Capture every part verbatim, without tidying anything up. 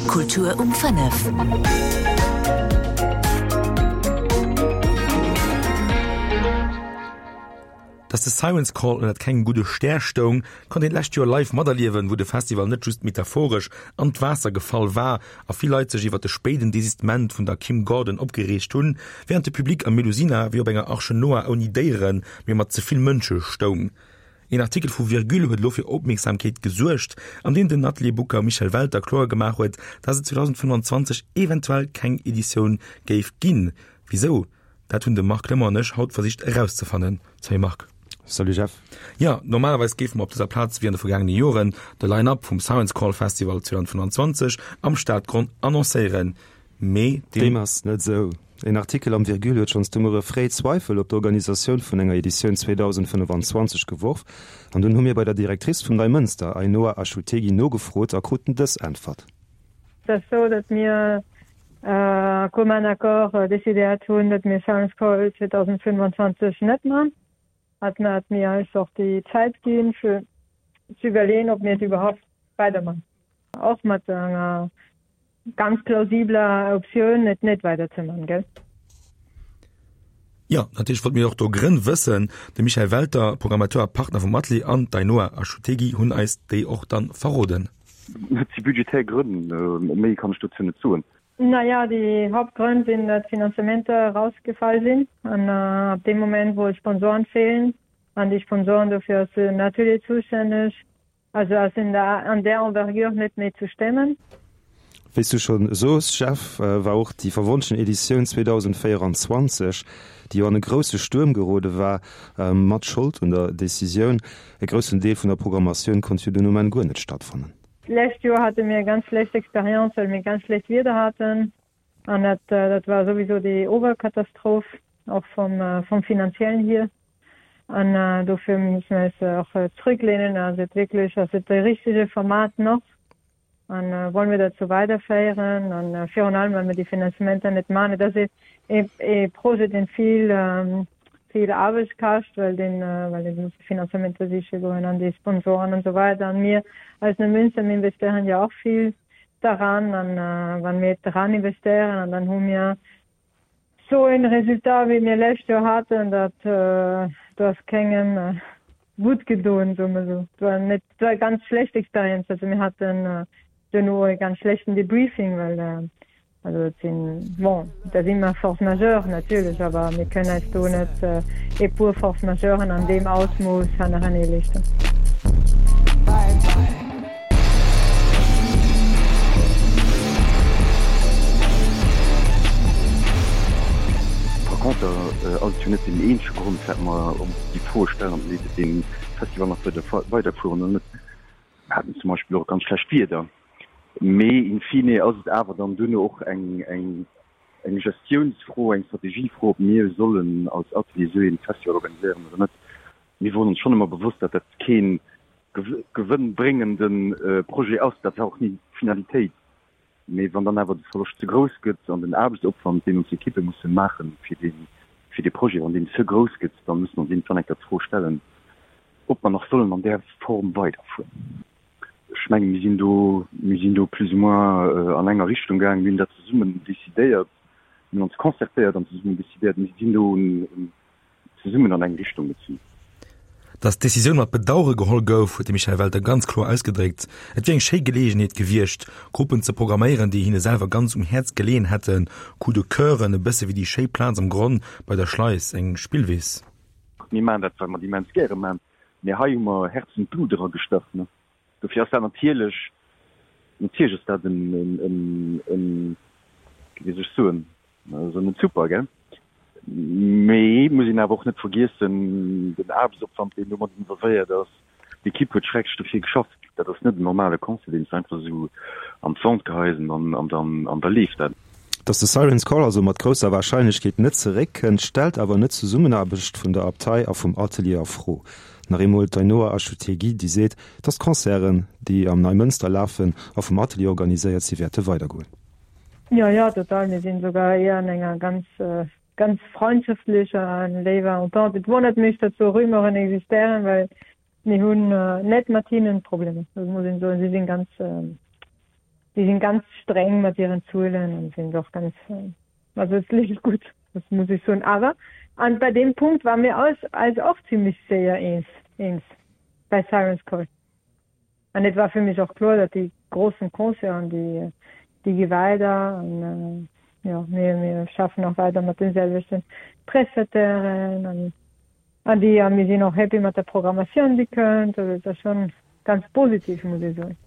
Kultur um fënnef. Dass de Siren's Call ënnert kengem gudde Stär stoung, konnt een d'lescht Joer live materliewen, wou de Festival net just metaphoresch an d'Waasser gefall war a vill Leit sech iwwer de spéiden Desistement vun der Kim Gordon opgereegt hunn, wärend de Public am Melusina wéi op enger Arche Noah ouni Déieren, mee mat ze vill Mënsche stoung. Een Artikel vu Virgule huet elo fir Opmierksamkeet gesuergt, an deem den Atelier-Booker Michel Welter kloer gemaach huet, dass et zweedausendfënnfanzwanzeg eventuell keng Editioun géif ginn. Wisou? Dat hunn de Marc Clement an ech haut versicht erauszefannen. Salut Marc. Salut Jeff. Jo, normalerweis géife mer op dëser Plaz, wéi an de vergaangene Joren, de Line-Up vum Science Call Festival zweedausendfënnfanzwanzeg am Stadgronn annoncéieren, mee deem. Deem ass net esou. En Artikel am Virgule huet schonns de Muere fréi Zweifel op d'Organisatioun vun enger Editioun zweedausendfënnfanzwanzeg geworf an dunn hu mir bei der Directrice vum Neimënster, Ainhoa Achutegui, nogefrot a kruten dës Äntwert. Et ass esou, datt mir a commun accord decidéiert hunn, datt mir Science Call zweedausendfënnfanzwanzeg net man. Hat mir hat mir eis och déi Zäit ginn, fir ze iwwerleeën, ob mir et iwwerhaupt weiderman. Och mat enger ganz plausibler Optioun, et net weiderzeman, gell? Jo, natierlech wollte mir och do Grënn wëssen. De Michel Welter, Programmateur a Partner vum Atelier, an d'Ainhoa Achutegui hunn eis déi och dann verroden. Et si budgetär Grënn, méi kann ech dozou net soen. Naja, déi Hauptgrënn sinn, datt Finanzementer erausgefall sinn an ab deem Moment, wou Sponsoren feelen, an déi Sponsoren, dofir ass den Atelier zoustänneg, also ass en an där Envergure net méi ze stemmen. Wéi s du schonn soos, Jeff, war och déi verwonschten Editioun zweedausendvéieranzwanzeg, déi jo an e grousse Stuerm gerode war, mat Schold un der Decisioun. E groussen Deel vun der Programmatioun konnt jo dunn um Enn guer net stattfannen. D'lescht Joer hate mir eng ganz schlecht Experience, well mir ganz schlecht Wieder haten an dat dat war souwisou déi Oberkatastroph, och vom vom finanziellen hier. An dofir musse mir eis och zrücklehnen. Ass et wierklech, ass et de richtege Format nach an wollen wir dat sou weiderféieren? An virun allem, well mir déi Finanzementer net man. Et ass ee ee Projet, deen vill vill Aarbecht kascht, well deen, well dee muss Finanzementer siche goen an déi Sponsoren an esou weider. An mir als Neumünster, mir investéieren jo och vill daran an wann mir dran investéieren an dann hu mir sou en Resultat wéi mir lescht Joer haten, dat do ass kengem gutt gedoen, soe mer esou. Et war net, et war e ganz schlecht Experienz. Also mir haten duerno e ganz schlechten Debriefing, well Also et sinn, bon, et ass ëmmer Force majeure natierlech, awer mir kënnen eis do net e puer Force majeuren an deem Ausmooss hannerenee leeschten. Par contre ass et jo net deen eenzege Grond, firwat mer ons déi Froe stellen, ob mir dee Festival nach weiderfueren oder net. Mir haten zum Beispill och ganz schlecht Wieder. Mee in fine ass et awer dann duerno och eng, eng, eng Gestiounsfro, eng Strategiefro, ob mir sollen als Atelier esou ee Festival organiséieren oder net. Mir woren ons schonn ëmmer bewosst, datt dat kee gewënnbréngende Projet ass. Dat war och ni d'Finalitéit. Mee wann dann awer de Verloscht ze grouss gëtt an den Aarbechtsopwand, deen ons Ekippe musse maachen fir dee, fir dee Projet, wann deen ze grouss gëtt, da musse mer ons iergendwann eng Kéier d'Fro stellen, ob mer nach sollen an där Form weiderfueren. Ech mengen, mir sinn do, mir sinn do plus ou moins an enger Richtung gaangen. Mir hunn dat zesummen decidéiert, mir hunn ons concertéiert an zesummen decidéiert. Mir sinn do zesummen an eng Richtung gezunn. Datt d'Decisioun mat Bedauere geholl gouf, huet de Michel Welter ganz kloer ausgedréckt. Et wier eng schéi Geleegenheet gewiescht, Gruppen ze programméieren, déi hinne selwer ganz um Häerz geleeën hätten, Coup de Coeuren, e bësse wéi déi schéi Plaz am Gronn bei der Schleis, eng Spillwiss. Mir maachen dat, well mer et immens gäre maachen, mee hei hu mer Herz und Blut eragestach. Dofir ass dat natierlech, natierlech ass dat en, en, en, wéi soll ech soen, also net super, gell? Mee et muss een awer och net vergiessen, den Aarbechtsopwand, deen domat involvéiert ass, d'Ekipp huet schrecklech dofir geschafft. Dat ass net en normale Concert, deen s de einfach esou an d'Wand geheis an an dann an da leeft dat. Datt de Siren's Call also mat grousser Warscheinlechkeet net zeréckkënnt, stellt awer net d'Zesummenaarbecht vun der Abtei a vum Atelier a Fro. Nach eemol d'Ainhoa Achutegui, déi seet, datt d'Concerten, déi am Neimënster lafen a vum Atelier organiséiert si wäerte weidergoen. Jo, jo, total. Mir sinn souguer éier an enger ganz, ganz freundschaftlecher an léiwer Entente. Et wonnert mech, datt sou Rumeuren existéieren, well mir hunn net mat hinnen Problemer. Dat muss een soen. Si sinn ganz, Déi sinn ganz streng mat hiren Zuelen an sinn och ganz, also et leeft gutt, das muss ech soen. Awer an bei deem Punkt ware mir eis eis och zimmlech séier eens, eens bei Siren's Call. An et war fir mech och kloer, datt déi groussen Concerten, déi déi gi weider an jo, mir mir schaffen och weider mat den selwechten Prestatairen an an déi a mir sinn och happy mat der Programmatioun, déi kënnt. Also et ass schonn ganz positiv, muss ech soen.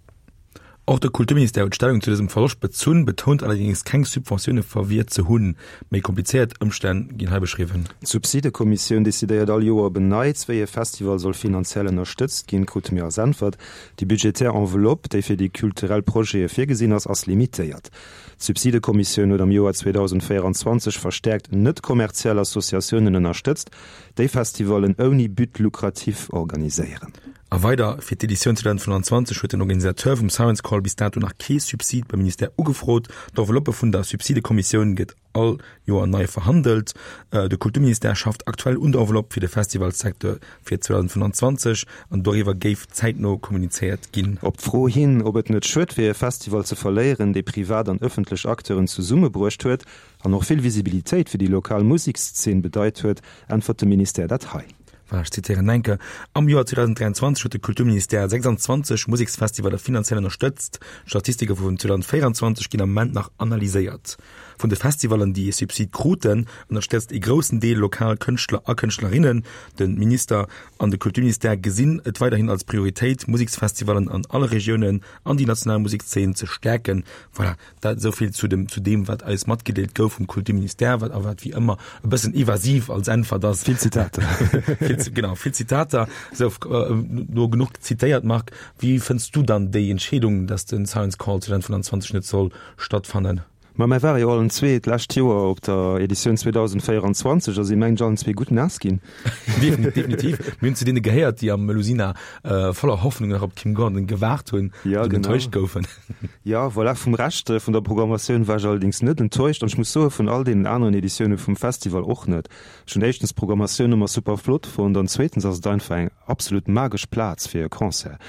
Och de Kulturministère huet Stellung zu dësem Verloscht bezunn, betount allerdéngs keng Subventioune verwiert ze hunn. Méi komplizéiert Ëmstänn ginn hei beschriwwen. D'Subsidekommissioun decidéiert all Joer op en Neits, wéi e Festival soll finanziell ënnerstëtzt ginn, krute mir als Äntwert. Déi budgetär Enveloppe, déi fir déi kulturell Projete virgesinn ass, ass limitéiert. D'Subsidekommissioun huet am Joer zweedausendvéierundzwanzeg verstäerkt net-kommerziell Associatiounen ënnerstëtzt, déi Festivallen ouni But lucratif organiséieren. A weider, Fir d'Editioun zweedausendfënnanzwanzeg huet den Organisateur vum Science Call bis dato nach kee Subsid beim Ministère ugefrot. D'Enveloppe vun der Subsidekommissioun gëtt all Joer nei verhandelt. De Kulturministère schafft aktuell un der Enveloppe fir de Festivalsecteur fir zweedausendfënnanzwanzeg an doriwwer géif zäitno kommunizéiert ginn. Op d'Fro hin, ob et net schued wier, e Festival ze verléieren, dee privat an ëffentlech Acteuren zesummebruecht huet an och vill Visibilitéit fir déi lokal Musekszeen bedeit huet, äntwert de Ministère dat hei. Voilà, ech zitéieren enke, Am Joer zweedausendräianzwanzeg huet de Kulturministère sechsandzwanzeg Museksfestivaler finanziell ënnerstëtzt. D'Statistike vun zweedausendvéieranzwanzeg ginn am Moment nach analyséiert. Vun de Festivallen, déi e Subsid kruten, ënnerstëtzt ee groussen Deel lokal Kënschtler a Kënschtlerinnen. De Minister an de Kulturministère gesinn et weiderhin als Prioritéit, Museksfestivallen an alle Regiounen an déi national Musekszeen ze stäerken. Voilà, dat esou vill zu dem, zu deem, wat eis matgedeelt gouf vum Kulturministère, wat awer wéi ëmmer e bëssen evasiv als Äntwert ass. Vill Zitater. Vill, genau, vill Zitater. Sou, no genuch zitéiert, Marc, wéi fënns du dann déi Entscheedung, dass den Science Call zweedausendfënnanzwanzeg net soll stattfannen? Ma mir ware jo allen zwee d'lescht Joer op der Editioun zweedausendvéierundzwanzeg a si mengen ech allen zwee gutt naass ginn. Definitiv. Mir hunn zu deene gehéiert, déi am Melusina voller Hoffnung nach op d'Kim Gordon gewaart hunn ja, an enttäuscht goufen. Ja, voilà, vum Rescht vun der Programmatioun war ech allerdéngs net enttäuscht an ech muss soe vun all deenen aneren Editioune vum Festival och net. Ech hunn éischtens d'Programmatioun ëmmer super flott fonnt an zweetens ass et einfach eng absolut magesch Plaz fir e Concert.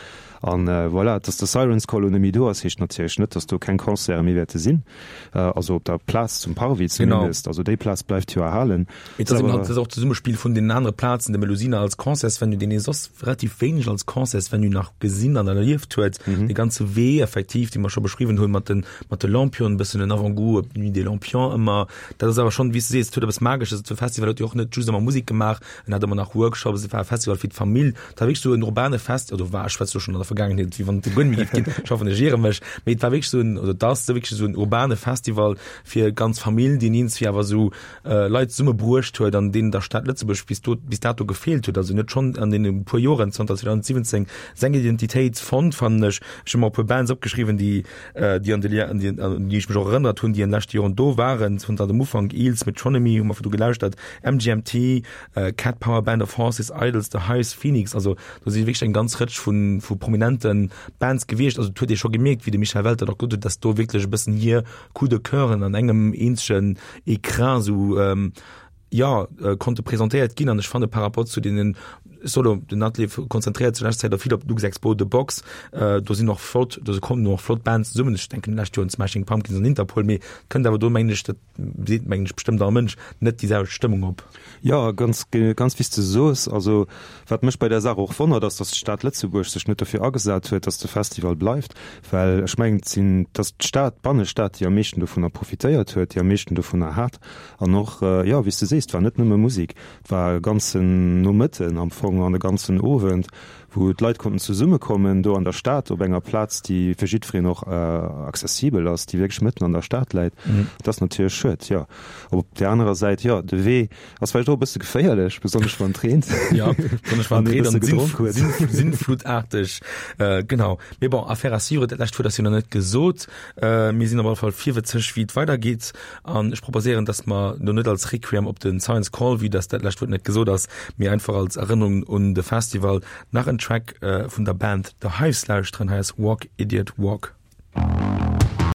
An voilà, dass de Siren's Call elo net méi do ass, heescht natierlech net, dass do keng Concerte méi wäerte sinn, also op der Plaz zum Parvis zumindest. Also déi Plaz bleift jo erhalen. Mee et ass eben halt och d'Zesummespill vun deenen anere Plazen, de Melusina als Concertsvenue, deen ee soss relativ wéineg als Concertsvenue nach gesinn an erlieft huet, dee ganze Wee effektiv, dee mer scho beschriwwen hunn, mat de mat de Lampionen, e bëssen en Avant-goût op d'Nuit des Lampions ëmmer. Dat ass awer schonn, wéi s de sees, et huet eppes Magesches. De Festival huet jo och net just ëmmer Musek gemaach, en hat ëmmer nach Workshops, et war e Festival fir d'Famill. Et war wierklech esou en urbane Fest, oder war, ech schwätze lo schonn an der Vergaangenheet, wéi wann et guer net méi géif ginn, ech hoffen, ech iere mech, mee et war wierklech esou en, oder et ass wierklech esou en urbane Festival fir ganz Famill, deen iergendwéi awer esou Leit zesummebruecht huet an deen der Stad Lëtzebuerg bis do, bis dato gefeelt huet. Also en huet schonn an deene puer Joren zanter zweedausendsiwwenzéng seng Identitéit fonnt, fannen ech. Ech hu mer e puer Bands opgeschriwwen, déi, déi an de, an déi, un déi ech mech och erënnert hunn, déi an de leschte Joren do waren, zanter dem Ufank, Eels, Metronomy hu mer virdu gelauschtert, M G M T, Cat Power, Band of Horses, Idles, The Hives, Phoenix, also do si wierklech eng ganz Rëtsch vu vu prominente Bands gewiescht. Also et huet ee scho gemierkt, wéi de Michel Welter och gesot huet, dass do wierklech e bëssen hir Coup de Coeuren an engem eenzegen Ecran esou, jo, konnte presentéiert ginn. An ech fanne par rapport zu deenen, ech soe lo, den Atelier konzentréiert sech lescht Zäit och vill op d'Luxexpo, The Box, do sinn och flott, do kommen och flott Bands zesummen. Ech denken d'lescht Joer un d'Smashing Pumpkins an Interpol, mee et kënnt awer do, mengen ech, dat seet mengen ech bestëmmt all Mënsch, net déi selwecht Stëmmung op. Jo, ganz, ganz wéi s de soos. Also wat mech bei där Saach och wonnert, ass, datt d'Stad Lëtzebuerg sech net dofir agesat huet, datt de Festival bleift, well ech mengen, et sinn, et ass d'Stad, d'Bannestad, déi am meeschten dovunner profitéiert huet, déi am meeschten dovunner hat. An och, jo, wéi s de sees, et war net nëmme Musek, et war e ganzen Nomëtten am Fong an e ganzen Owend, wou d'Leit konnten zesummekommen do an der Stad op enger Plaz, déi fir jiddwereen och accessibel ass, déi wierklech mëtten an der Stad läit. Dat ass natierlech schued, jo. Op där anerer Säit, jo, de Wee ass vläicht och e bësse geféierlech, besonnesch wann et reent. Jo, besonnesch wann et reent an sinnflutaarteg, genau. Mee bon, Affaire à suivre, dat lescht Wuert ass jo nach net gesot. Mir sinn op alle Fall virwëtzeg, wéi et weidergeet. An ech proposéieren, dass mer lo net als Requiem op den Science Call, vue dass dat lescht Wuert net gesot ass, mee einfach als Erënnerung un de Festival nach en Track vun der Band The Hives lauschteren. Hei ass Walk Idiot Walk.